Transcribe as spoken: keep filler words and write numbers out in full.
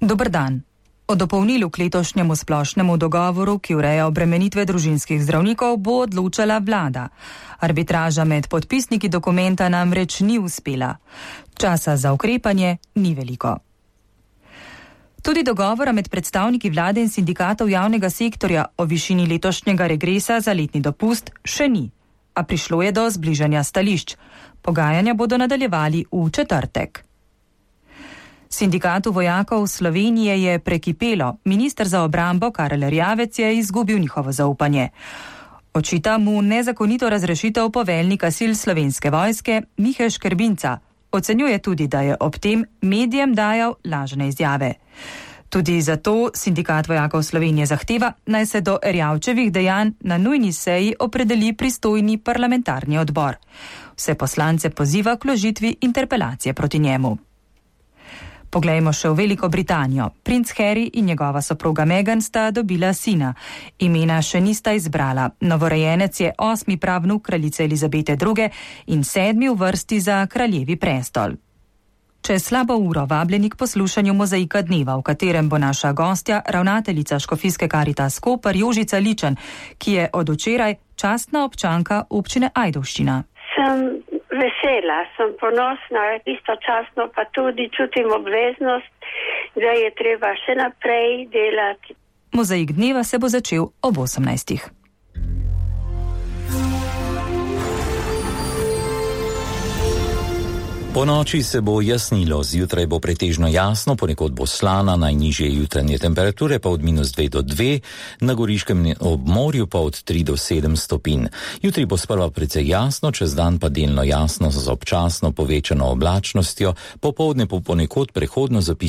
Dober dan. O dopolnilu k letošnjemu splošnemu dogovoru, ki ureja obremenitve družinskih zdravnikov, bo odločala vlada. Arbitraža med podpisniki dokumenta namreč ni uspela. Časa za ukrepanje ni veliko. Tudi dogovora med predstavniki vlade in sindikatov javnega sektorja o višini letošnjega regresa za letni dopust še ni, a prišlo je do zbližanja stališč. Pogajanja bodo nadaljevali v četrtek. Sindikatu vojakov Slovenije je prekipelo, minister za obrambo Karel Erjavec je izgubil njihovo zaupanje. Očita mu nezakonito razrešitev poveljnika sil Slovenske vojske Mihe Škrbinca. Ocenjuje tudi, da je ob tem medijem dajal lažne izjave. Tudi zato sindikat vojakov Slovenije zahteva, naj se do Erjavčevih dejanj na nujni seji opredeli pristojni parlamentarni odbor. Vse poslance poziva k vložitvi interpelacije proti njemu. Poglejmo še v Veliko Britanijo. Princ Harry in njegova soproga Meghan sta dobila sina. Imena še nista izbrala. Novorojenec je osmi pravnuk kraljice Elizabete druge. in sedmi v vrsti za kraljevi prestol. Čez slabo uro vabljeni k poslušanju Mozaika dneva, v katerem bo naša gostja, ravnateljica Škofijske Karitas Koper Jožica Ličen, ki je od včeraj častna občanka občine Ajdovščina. Sem vesela, sem ponosna, istočasno pa tudi čutim obveznost, da je treba še naprej delati. Mozaik dneva se bo začel ob osemnajstih. Po noči se bo jasnilo, zjutraj bo pretežno jasno, ponekod bo slana, najnižje jutranje temperature pa od minus dve do dve, na goriškem obmorju pa od tri do sedem stopinj. Jutri bo sprva precej jasno, čez dan pa delno jasno z občasno povečano oblačnostjo, popoldne po ponekod prehodno zapihal